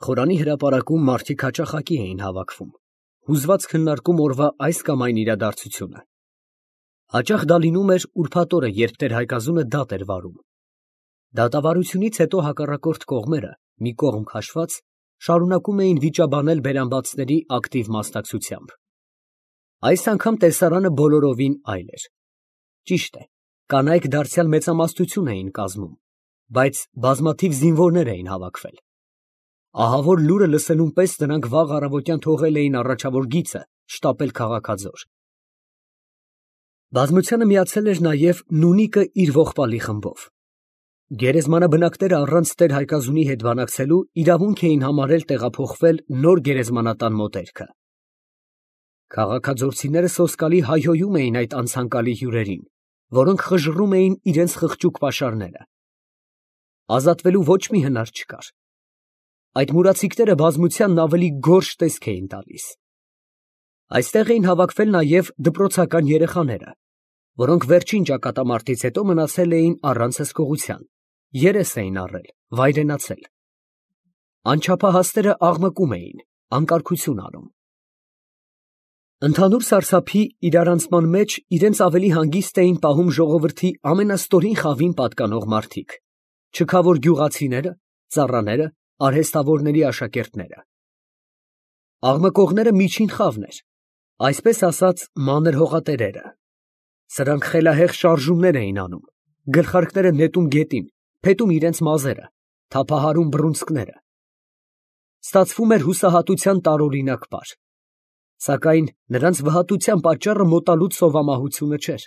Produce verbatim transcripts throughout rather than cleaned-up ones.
Խորանի հրապարակում մարդիկ հաճախակի էին հավաքվում, հուզված քննարկում օրվա այս կամ այն իրադարձությունը. հաճախ դա լինում էր ուրբաթ օրը, երբ տեր֊Հայկազունը դատ էր վարում։ Դատավարությունից հետո հակառակորդ կողմերը, մի կողմ քաշված, շարունակում էին վիճաբանել բերանբացների ակտիվ մասնակցությամբ։ Այս անգամ տեսարանը բոլորովին այլ էր։ Ճիշտ է, կանայք դարձյալ մեծամասնություն էին կազմում, բայց բազմաթիվ զինվորներ էին հավաքվել։ Ահավոր լուրը լսելուն պես նրանք վաղ առավոտյան թողել էին առաջավոր գիծը շտապել քաղաքաձոր։ Բազմությանը միացել էր նաև Նունիկը իր ողբալի խմբով։ Գերեզմանաբնակները առանց տեր֊Հայկազունի հետ բանակցելու իրավունք էին համարել տեղափոխվել նոր գերեզմանատան մոտերքը։ Քաղաքաձորցիները սոսկալի հայհոյում էին այդ անցանկալի հյուրերին, որոնք խժռում էին իրենց խղճուկ պաշարները։ Ազատվելու ոչ մի հնար չկար։ Այդ մուրացիկները բազմությանն ավելի գորշ տեսք էին տալիս։ Այստեղ էին հավաքվել նաև դպրոցական երեխաները, որոնք վերջին ճակատամարտից հետո մնացել էին առանց հսկողության, երես էին առել, վայրենացել։ Անչափահասները աղմկում էին, անկարգություն անում։ Ընդհանուր սարսափի իրարանցման մեջ իրենց ավելի հանգիստ էին պահում ժողովրդի ամենաստորին խավին պատկանող մարդիկ, չքավոր գյուղացիները, ծառաները, արհեստավորների աշակերտները։ Աղմկողները միջին խավն էր, այսպես ասած մանր հողատերերը։ Սրանք խելահեղ շարժումներ էին անում, գլխարկները նետում գետին, փետում իրենց մազերը, թափահարում բռունցքները։ Ստացվում էր հուսահատության տարօրինակ պար։ Սակայն նրանց վհատության պատճառը մոտալուտ սովամահությունը չէր,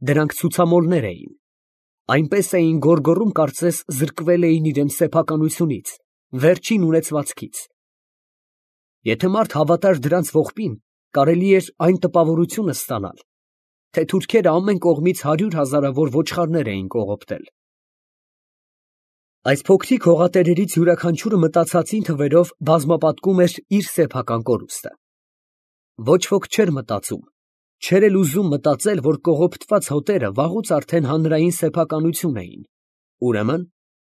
դրանք ցուցամոլներ էին, այնպես էին գոռգոռում, կարծես զրկվել էին իրենց սեփականությունից, վերջին ունեցվածքից։ Եթե մարդ հավատար դրանց ողբին, կարելի էր այն տպավորությունը ստանալ, թե թուրքերը ամեն կողմից հարյուր հազարավոր ոչխարներ էին կողոպտել։ Այս փոքրիկ հողատերերից յուրաքանչյուրը մտածածին թվերով բազմապատկում էր իր սեփական կորուստը։ Ոչ ոք չէր մտածում, չէր էլ ուզում մտածել, որ կողոպտված հոտերը վաղուց արդեն հանրային սեփականություն էին, ուրեմն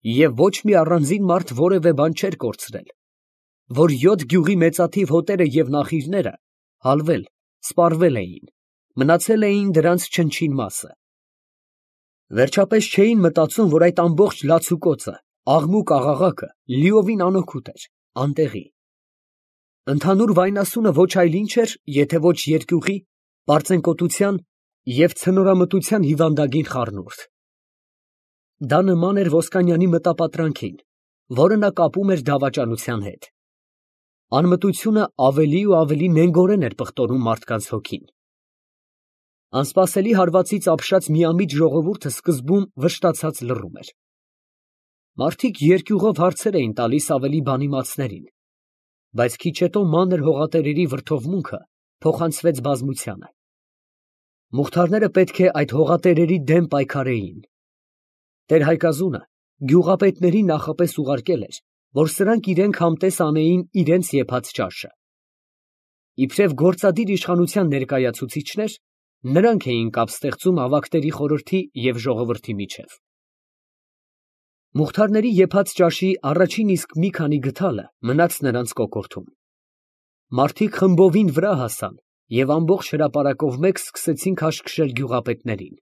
և ոչ մի առանձին մարդ որևէ բան չէր կորցրել, որ յոթ գյուղի մեծաթիվ հոտերը և նախիրները հալվել, սպառվել էին, մնացել էին դրանց չնչին մասը։ Վերջապես չէին մտածում, որ այդ ամբողջ լացուկոցը, աղմուկ֊աղաղակը լիովին անօգուտ էր, անտեղի։ Ընդհանուր վայնասունը ոչ այլ ինչ էր, եթե ոչ երկյուղի, պարծենկոտության և ցնորամտության հիվանդագին խառնուրդ։ Դա նման էր Ոսկանյանի մտապատրանքին, որը նա կապում էր դավաճանության հետ։ Անմտությունը ավելի ու ավելի նենգորեն էր պղտորում մարդկանց հոգին։ Անսպասելի հարվածից ապշած միամիտ ժողովուրդը սկզբում վշտացած լռում էր։ Մարդիկ երկյուղով հարցեր էին տալիս ավելի բանիմացներին, բայց քիչ հետո մանր հողատերերի վրդովմունքը փոխանցվեց բազմությանը։ Մուղթարները պետք է այդ հողատերերի դեմ պայքարեին։ Տեր֊Հայկազունը գյուղապետներին նախապես ուղարկել էր, որ սրանք իրենք համտես անեին իրենց եփած ճաշը։ Իբրև գործադիր իշխանության ներկայացուցիչներ, նրանք էին կապ ստեղծում ավագների խորհրդի և ժողովրդի միջև։ Մուղթարների եփած ճաշի առաջին իսկ մի քանի գդալը մնաց նրանց կոկորդում։ Մարդիկ խմբովին վրա հասան և ամբողջ հրապարակով մեկ սկսեցին քաշքշել գյուղապետներին։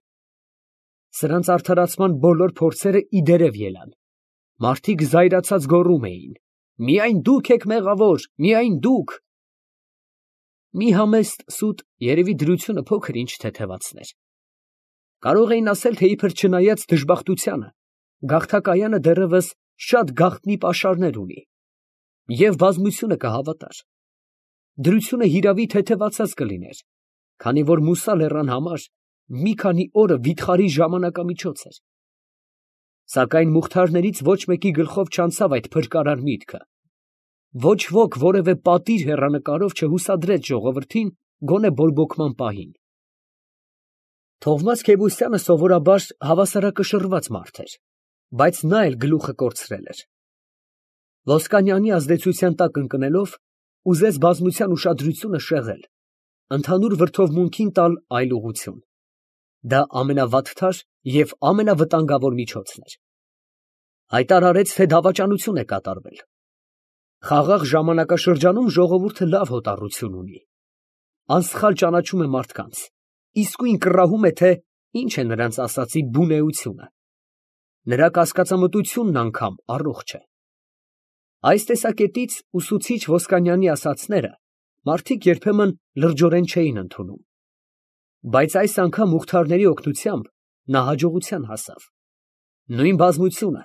Սրանց արդարացման բոլոր փորձերը ի դերև ելան։ Մարդիկ զայրացած գոռում էին. «Միայն դուք եք մեղավոր, միայն դուք»։ Մի համեստ սուտ երևի դրությունը փոքր ինչ թեթևացներ։ Կարող էին ասել, թե իբր չնայած դժբախտությանը, գաղթակայանը դեռևս շատ գաղտնի պաշարներ ունի, և բազմությունը կհավատար։ Դրությունը հիրավի թեթևացած կլիներ, քանի որ Մուսա լեռան համար մի քանի օրը վիթխարի ժամանակամիջոց էր։ Սակայն մուղթարներից ոչ մեկի գլխով չանցավ այդ փրկարար միտքը։ Ոչ ոք որևէ պատիր հեռանկարով չհուսադրեց ժողովրդին գոնե բորբոքման պահին։ Թովմաս Քեբուսյանը սովորաբար հավասարակշռված մարդ էր, բայց նա էլ գլուխը կորցրել էր։ Ոսկանյանի ազդեցության տակ ընկնելով, ուզեց բազմության ուշադրությունը շեղել, ընդհանուր վրդովմունքին տալ այլ ուղղություն։ Դա ամենավատթար և ամենավտանգավոր միջոցն էր։ Հայտարարեց, թե դավաճանություն է կատարվել։ Խաղաղ ժամանակաշրջանում ժողովուրդը լավ հոտառություն ունի, անսխալ ճանաչում է մարդկանց, իսկույն կռահում է, թե ինչ է նրանց ասածի բունեությունը, նրա կասկածամտությունն անգամ առողջ է։ Այս տեսակետից ուսուցիչ Ոսկանյանի ասածները մարդիկ երբեմն լրջորեն չէին ընդունում, բայց այս անգամ Մուխթարների օգնությամբ նա հաջողության հասավ։ Նույն բազմությունը,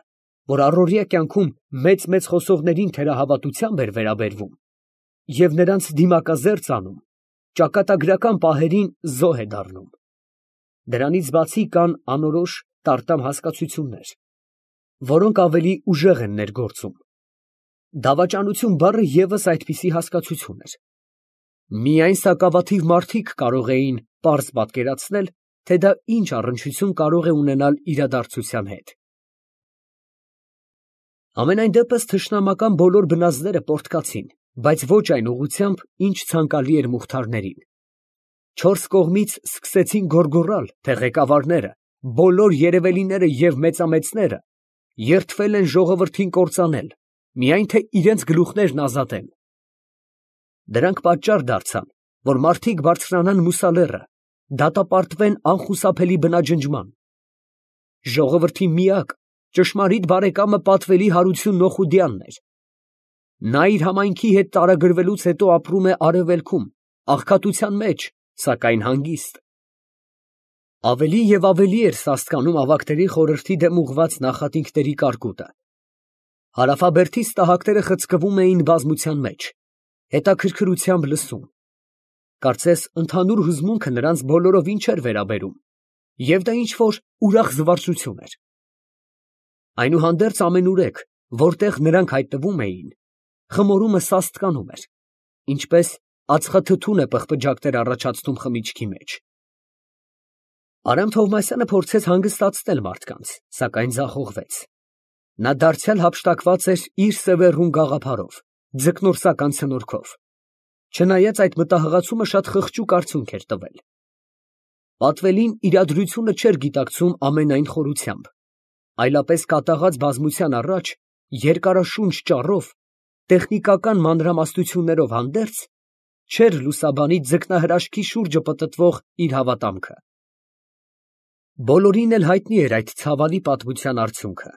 որ առօրյա կյանքում մեծ֊մեծ խոսողներին թերահավատությամբ էր վերաբերվում և նրանց դիմակազերծ անում, ճակատագրական պահերին զոհ է դառնում։ Դրանից բացի կան անորոշ տարտամ հասկացություններ, որոնք ավելի ուժեղ են ներգործում։ Դավաճանություն բառը ևս այդպիսի հասկացություն էր։ Միայն սակավաթիվ մարդիկ կարող էին պարզ պատկերացնել, թե դա ինչ առնչություն կարող է ունենալ իրադարձության հետ։ Համենայն դեպս թշնամական բոլոր բնազդները պոռթկացին, բայց ոչ այն ուղղությամբ, ինչ ցանկալի էր Մուխթարներին։ Չորս կողմից սկսեցին գոռգոռալ, թե ղեկավարները, բոլոր երևելիները և մեծամեծները երդվել են ժողովրդին կործանել, միայն թե իրենց գլուխներն ազատեն։ Դրանք պատճառ դարձան, որ մարդիկ բարձրանան Մուսալեռը, դատապարտվեն անխուսափելի բնաջնջման։ Ժողովրդի միակ ճշմարիտ բարեկամը պատվելի Հարություն Նոխուդյանն էր։ Նա իր համայնքի հետ տարագրվելուց հետո ապրում է արևելքում, աղքատության մեջ, սակայն հանգիստ։ Ավելի և ավելի էր սաստկանում ավագների խորհրդի դեմ ուղղված նախատինքների կարկուտը։ Հարավաբերդի ստահակները խցկվում էին բազմության մեջ, հետաքրքրությամբ լսում։ Կարծես ընդհանուր հուզմունքը նրանց բոլորովին չէր վերաբերում, և դա ինչ֊որ ուրախ զվարճություն էր։ Այնուհանդերձ ամենուրեք, որտեղ նրանք հայտնվում էին, խմորումը սաստկանում էր, ինչպես ածխաթթուն է պղպջակներ առաջացնում խմիչքի մեջ։ Արամ Թովմասյանը փորձեց հանգստացնել մարդկանց, սակայն ձախողվեց։ Նա դարձյալ հափշտակված էր իր սևեռուն գաղափարով, ձկնորսական ցնորքով, չնայած այդ մտահղացումը շատ խղճուկ արդյունք էր տվել։ Պատվելին իրադրությունը չէր գիտակցում ամենայն խորությամբ, այլապես կատաղած բազմության առաջ երկարաշունչ ճառով, տեխնիկական մանրամասնություններով հանդերձ, չէր լուսաբանի ձկնահրաշքի շուրջը պտտվող իր հավատամքը։ Բոլորին էլ հայտնի էր այդ ցավալի պատմության արդյունքը։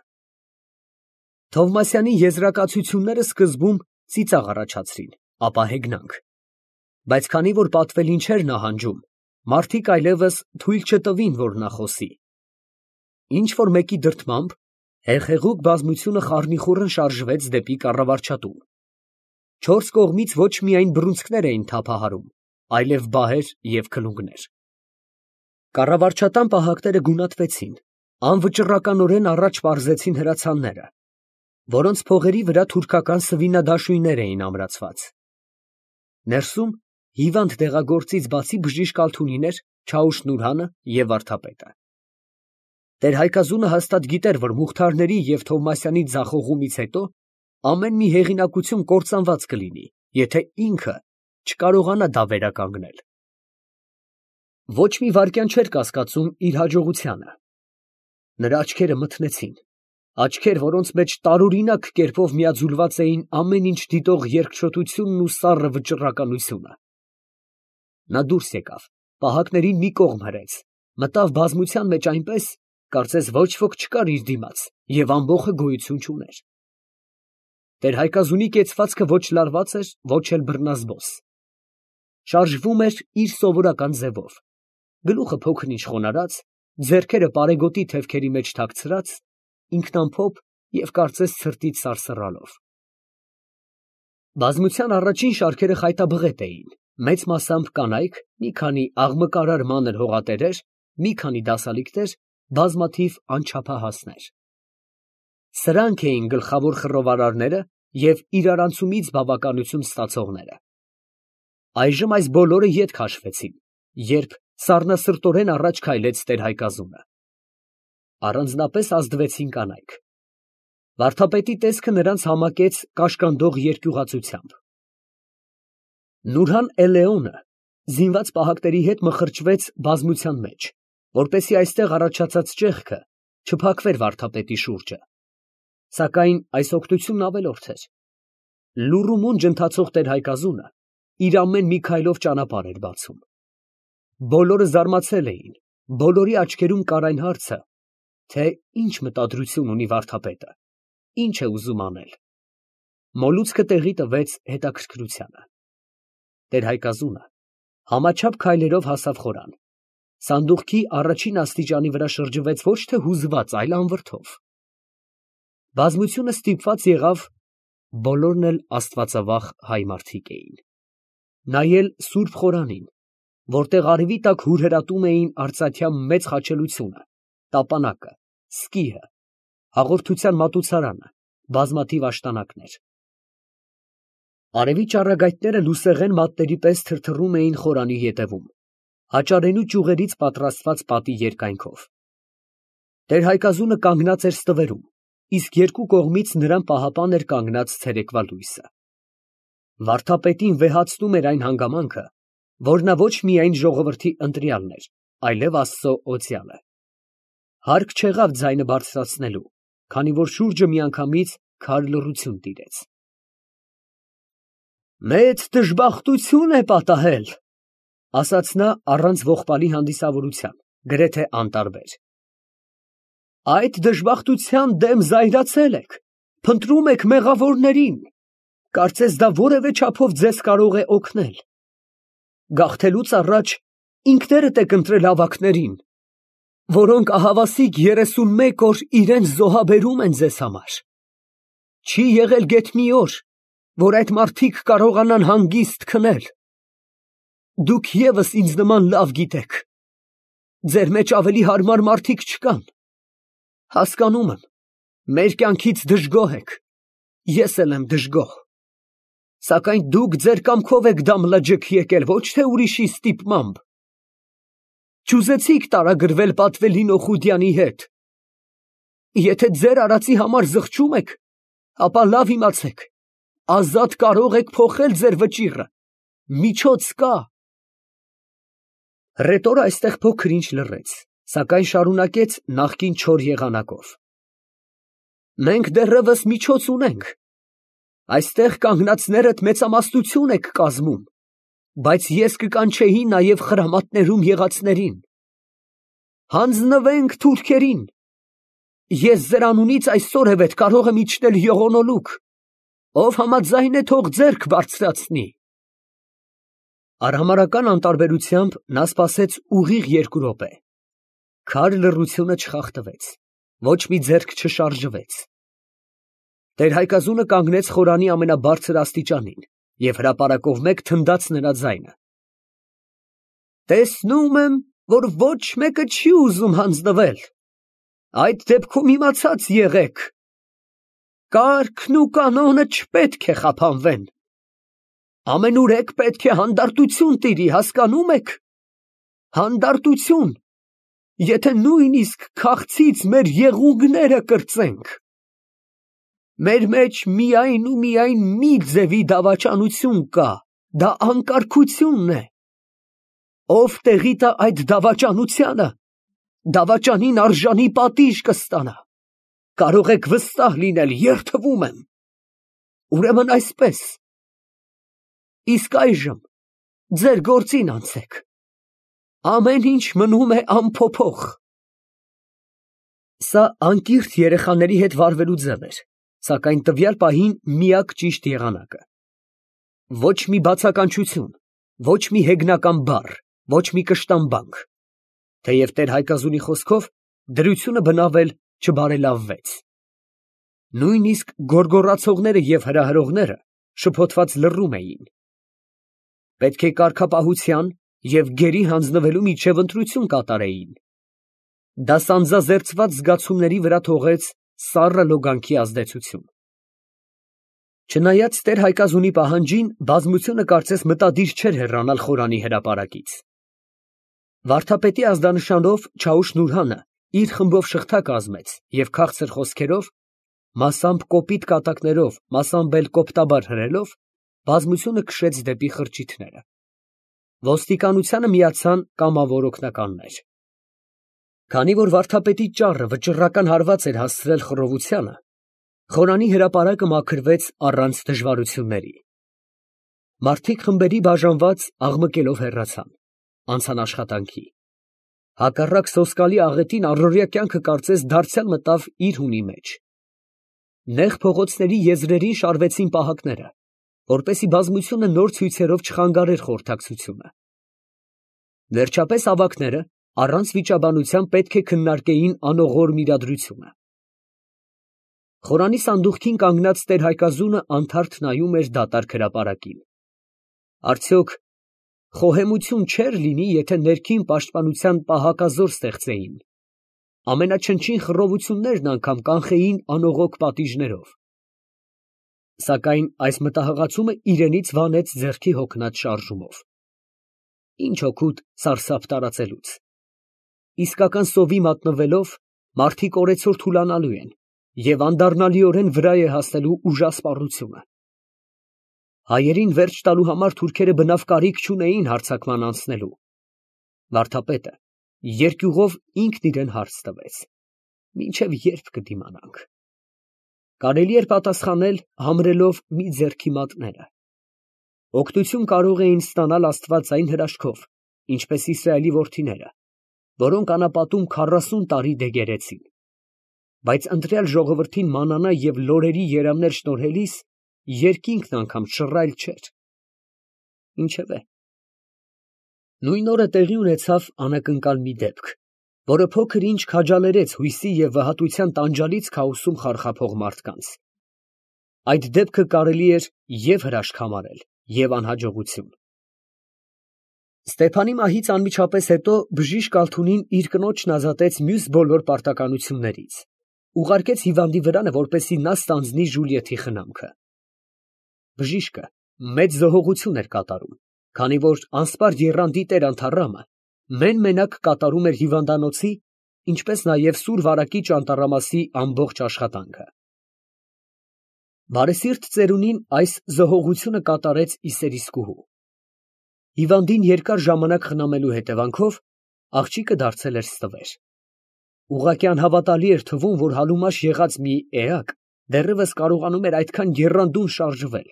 Թովմասյանի եզրակացությունները սկզբում ծիծաղ առաջացրին, ապա հեգնանք, բայց քանի որ պատվելին չէր նահանջում, մարդիկ այլևս թույլ չտվին, որ նա խոսի։ Ինչ֊որ մեկի դրդմամբ հեղեղուկ բազմությունը խառնիխուռն շարժվեց դեպի կառավարչատուն։ Չորս կողմից ոչ միայն բռունցքներ էին թափահարում, այլև բահեր և քլունգներ։ Կառավարչատան պահակները գունատվեցին, անվճռականորեն առաջ պարզեցին հրացանները, որոնց փողերի վրա թուրքական սվինադաշույններ էին ամրացված։ Ներսում հիվանդ դեղագործից բացի բժիշկ Ալթունին էր, Չաուշ Նուրհանը և վարդապետը։ Տեր֊Հայկազունը հաստատ գիտեր, որ Մուխթարների և Թովմասյանի ձախողումից հետո ամեն մի հեղինակություն կործանված կլինի, եթե ինքը չկարողանա դա վերականգնել։ Ոչ մի վայրկյան չէր կասկածում իր հաջողությանը։ Նրա աչքերը մթնեցին, աչքեր, որոնց մեջ տարօրինակ կերպով միաձուլված էին ամեն ինչ դիտող երկչոտությունն ու սառը վճռականությունը։ Նա դուրս եկավ, պահակներին մի կողմ հրեց, մտավ բազմության մեջ այնպես, կարծես ոչ ոք չկար իր դիմաց և ամբոխը գոյություն չուներ։ Տեր֊Հայկազունի կեցվածքը ոչ լարված էր, ոչ էլ բռնազբոս։ Շարժվում էր իր սովորական ձևով, գլուխը փոքր-ինչ խոնարհած, ձեռքերը պարեգոտի թևքերի մեջ թաքցրած, ինքնամփոփ և կարծես ցրտից սարսռալով։ Բազմության առաջին շարքերը խայտաբղետ էին, մեծ մասամբ կանայք, մի քանի աղմկարար մանր հողատերեր, մի քանի դասալիկներ, բազմաթիվ անչափահասներ։ Սրանք էին գլխավոր խռովարարները և իրարանցումից բավականություն ստացողները։ Այժմ այս բոլորը ետ քաշվեցին, երբ սառնասրտորեն առաջ քայլեց Տեր֊Հայկազունը։ Առանձնապես ազդվեցին կանայք։ Վարդապետի տեսքը նրանց համակեց կաշկանդող երկյուղածությամբ։ Նուրհան Էլեոնը զինված պահակների հետ մխրճվեց բազմության մեջ, որպեսզի այստեղ առաջացած ճեղքը չփակվեր վարդապետի շուրջը, սակայն այս օգնությունն ավելորդ էր։ Լուռ ու մունջ ընթացող տեր֊Հայկազունը իր ամեն մի քայլով ճանապարհ էր բացում։ Բոլորը զարմացել էին, բոլորի աչքերում կար այն հարցը, թե ինչ մտադրություն ունի վարդապետը, ինչ է ուզում անել։ Մոլուցքը տեղի տվեց հետաքրքրությանը։ Տեր֊Հայկազունը համաչափ քայլերով հասավ խորան, սանդուղքի առաջին աստիճանի վրա շրջվեց ոչ թե հուզված, այլ անվրդով։ Բազմությունը ստիպված եղավ, բոլորն էլ աստվածավախ հայ մարդիկ էին, նայել սուրբ խորանին, որտեղ արևի տակ հուրհրատում էին արծաթյա մեծ խաչելությունը, տապանակը, սկիհը, հաղորդության մատուցարանը, բազմաթիվ աշտանակներ։ Արևի ճառագայթները լուսեղեն մատների պես թրթռում էին խորանի ետևում, հաճարենու ճյուղերից պատրաստված պատի երկայնքով։ Տեր֊Հայկազունը կանգնած էր ստվերում, իսկ երկու կողմից նրան պահապան էր կանգնած ցերեկվա լույսը։ Վարդապետին վեհացնում էր այն հանգամանքը, որ նա ոչ միայն ժողովրդի ընտրյալն էր, այլև Աստծո օծյալը։ Հարկ չեղավ ձայնը բարձրացնելու, քանի որ շուրջը միանգամից քար լռություն տիրեց։ «Մեծ դժբախտություն է պատահել», ֊ ասաց նա առանց ողբալի հանդիսավորության, գրեթե անտարբեր։ «Այդ դժբախտության դեմ զայրացել եք, փնտրում եք մեղավորներին, կարծես դա որևէ չափով ձեզ կարող է օգնել։ Գաղթելուց առաջ ինքներդ եք ընտրել ավագներին, որոնք ահավասիկ երեսունմեկ օր իրենց զոհաբերում են ձեզ համար։ Չի եղել գեթ մի օր, որ այդ մարդիկ կարողանան հանգիստ քնել։ Դուք ևս ինձ նման լավ գիտեք, ձեր մեջ ավելի հարմար մարդիկ չկան։ Հասկանում եմ, մեր կյանքից դժգոհ եք, ես էլ եմ դժգոհ, սակայն դուք ձեր կամքով եք դամ-լաջք եկել, ոչ թե ուրիշի ստիպմամբ։ Չուզեցիք տարագրվել պատվելին Օխուդյանի հետ։ Եթե ձեր արածի համար զղջում եք, ապա լավ իմացեք, ազատ կարող եք փոխել ձեր վճիռը, միջոց կա։ Ռետորը այստեղ փոքր ինչ լռեց, սակայն շարունակեց նախկին չոր եղանակով. Մենք դեռևս միջոց ունենք, այստեղ կանգնածներդ մեծամասնություն եք կազմում, բայց ես կկանչեի նաև խրամատներում եղածներին։ Հանձնվենք թուրքերին, ես ձեր անունից այսօրևեթ կարող եմ իջնել ողոնոլուկ, ով համաձայն է թող ձեռք բարձրացնի։ Արհամարհական անտարբերությամբ նա սպասեց ուղիղ երկու րոպե։ Քար լռությունը չխախտվեց, ոչ մի ձեռք չշարժվեց։ Տեր֊Հայկազունը կանգնեց խորանի ամենաբարձր աստիճանին և հրապարակով մեկ թնդաց նրա ձայնը։ Տեսնում եմ, որ ոչ մեկը չի ուզում հանձնվել, այդ դեպքում իմացած եղեք, կարգն ու կանոնը չպետք է խափանվեն, ամենուրեք պետք է հանդարտություն տիրի, հասկանում եք, հանդարտություն, եթե նույնիսկ քաղցից մեր եղունգները կրծենք։ Մեր մեջ միայն ու միայն մի ձևի դավաճանություն կա, դա անկարգությունն է։ Ով տեղի տա այդ դավաճանությանը, դավաճանին արժանի պատիժ կստանա։ Կարող եք վստահ լինել, երդվում եմ։ Ուրեմն այսպես։ Իսկ այժմ ձեր գործին անցեք։ Ամեն ինչ մնում է անփոփոխ։ Սա անկիրթ երեխաների հետ վարվելու ձև էր, սակայն տվյալ պահին միակ ճիշտ եղանակը։ Ոչ մի բացականչություն, ոչ մի հեգնական բառ, ոչ մի կշտամբանք։ Թեև Տեր֊Հայկազունի խոսքով դրությունը բնավել չբարելավվեց։ Նույնիսկ գոռգոռացողները և հրահրողները շփոթված լռում էին։ Պետք է կարգապահության և գերի հանձնվելու միջև ընտրություն կատարեին։ Դա սանձազերծված զգացումների վրա թողեց սառը լոգանքի ազդեցություն։ Չնայած Տեր֊Հայկազունի պահանջին, բազմությունը կարծես մտադիր չէր հեռանալ խորանի հրապարակից։ Վարդապետի ազդանշանով Չաուշ֊Նուրհանը իր խմբով շղթա կազմեց և քաղցր խոսքերով, մասամբ կոպիտ կատակներով, մասամբ էլ կոպտաբար հրելով, բազմությունը քշեց դեպի խրճիթները։ Ոստիկանությանը միացան կամավոր օգնականներ։ Քանի որ վարդապետի ճառը վճռական հարված էր հասցրել խռովությանը, Խորանի հրապարակը մաքրվեց առանց դժվարությունների։ Մարդիկ խմբերի բաժանված աղմկելով հեռացան, անցան աշխատանքի։ Հակառակ սոսկալի աղետին առօրյա կյանքը կարծես դարձյալ մտավ իր հունի մեջ։ Նեղ փողոցների եզրերին շարվեցին պահակները, որպեսզի բազմությունը նոր ցույցերով չխանգարեր խորհրդակցությունը։ Վերջապես ավագները առանց վիճաբանության պետք է քննարկեին անողորմ իրադրությունը։ Խորանի սանդուղքին կանգնած տեր֊Հայկազունը անթարթ նայում էր դատարկ հրապարակին։ Արդյոք խոհեմություն չէր լինի, եթե ներքին պաշտպանության պահակազոր ստեղծեին, ամենաչնչին խռովություններն անգամ կանխեին անողոք պատիժներով։ Սակայն այս մտահղացումը իրենից վանեց ձեռքի հոգնած շարժումով։ Ինչ օգուտ սարսափ տարածելուց։ Իսկական սովի մատնվելով մարդիկ օրեցօր թուլանալու են և անդառնալիորեն վրա է հասնելու ուժասպառությունը։ Հայերին վերջ տալու համար թուրքերը բնավ կարիք չունեին հարձակման անցնելու։ Վարդապետը երկյուղով ինքն իրան հարց տվեց. մինչև ե՞րբ կդիմանանք։ Կարելի էր պատասխանել համրելով մի ձեռքի մատները. օգնություն կարող էին ստանալ աստվածային հրաշքով, ինչպես Իսրայելի որդիները, որոնք անապատում քառասուն տարի դեգերեցին, բայց ընտրյալ ժողովրդին մանանա և լորերի երամներ շնորհելիս երկինքն անգամ շռայլ չէր։ Ինչևէ, նույն օրը տեղի ունեցավ անակնկալ մի դեպք, որը փոքր ինչ քաջալերեց հույսի և վհատության տանջալից քաոսում խարխափող մարդկանց։ Այդ դեպքը կարելի էր և հրաշք համարել, և անհաջողություն։ Ստեփանի մահից անմիջապես հետո բժիշկ Ալթունին իր կնոջն ազատեց մյուս բոլոր պարտականություններից, ուղարկեց հիվանդի վրանը, որպեսզի նա ստանձնի Ժուլիեթի խնամքը։ Բժիշկը մեծ զոհողություն էր կատարում, քանի որ անսպար եռանդի տեր Անթառամը մեն֊մենակ կատարում էր հիվանդանոցի, ինչպես նաև սուր վարակիչ անտառամասի ամբողջ աշխատանքը։ Բարեսիրտ ծերունին այս զոհողությունը կատարեց ի սերիսկուհու։ Հիվանդին երկար ժամանակ խնամելու հետևանքով աղջիկը դարձել էր ստվեր։ Ուղղակի անհավատալի էր թվում, որ հալումաշ եղած մի էակ դեռևս կարողանում էր այդքան եռանդուն շարժվել,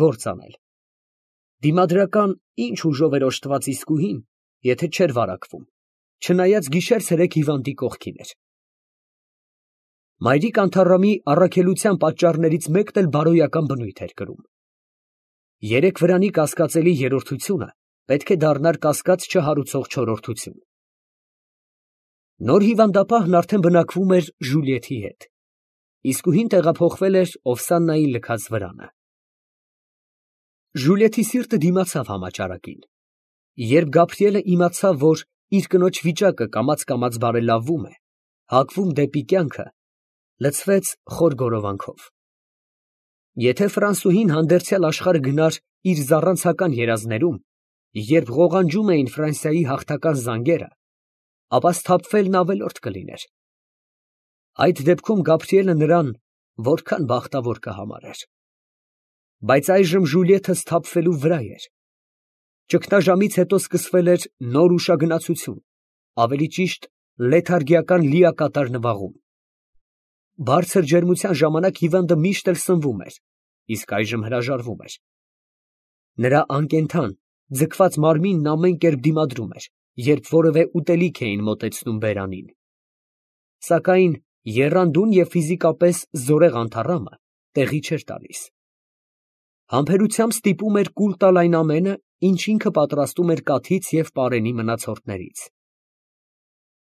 գործ անել։ Դիմադրական ինչ ուժով էր օժտված իսկուհին, եթե չէր վարակվում, չնայած գիշեր֊ցերեկ հիվանդի կողքին էր։ Մայրիկ Անթառամի առաքելության պատճառներից մեկն էլ բարոյական բնույթ էր կրում։ Երեք վրանի կասկածելի երրորդությունը պետք է դառնար կասկած չհարուցող չորրորդություն։ Նոր հիվանդապահն արդեն բնակվում էր Ժուլիեթի հետ, իսկուհին տեղափոխվել էր Օվսաննայի լքած վրանը։ Ժուլիեթի սիրտը դիմացավ համաճարակին։ Երբ Գաբրիելը իմացավ, որ իր կնոջ վիճակը կամաց֊կամաց բարելավվում է, հակվում դեպի կյանքը, լցվեց խոր գորովանքով։ Եթե ֆրանսուհին հանդերձյալ աշխարհը գնար իր զառանցական երազներում, երբ ղողանջում էին Ֆրանսիայի հաղթական զանգերը, ապա սթափվելն ավելորդ կլիներ։ Այդ դեպքում Գաբրիելը նրան որքան բախտավոր կհամարեր։ Բայց այժմ Ժուլիեթը սթափվելու վրա էր։ Ճգնաժամից հետո սկսվել էր նոր ուշագնացություն, ավելի ճիշտ լեթարգիական լիակատար նվաղում։ Բարձր ջերմության ժամանակ հիվանդը միշտ էլ սնվում էր, իսկ այժմ հրաժարվում էր։ Նրա անկենդան, ձգված մարմինն ամեն կերպ դիմադրում էր, երբ որևէ ուտելիք էին մոտեցնում բերանին։ Սակայն եռանդուն և ֆիզիկապես զորեղ Անթառամը տեղի չէր տալիս։ Համբերությամբ ստիպում էր կուլ տալ այն ամենը, ինչ ինքը պատրաստում էր կաթից և պարենի մնացորդներից։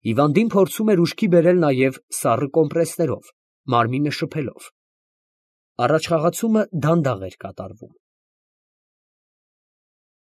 Հիվանդին փորձում էր ուշքի բերել նաև սառը կոմպրեսներով, մարմինը շփելով։ Առաջխաղացումը դանդաղ էր կատարվում։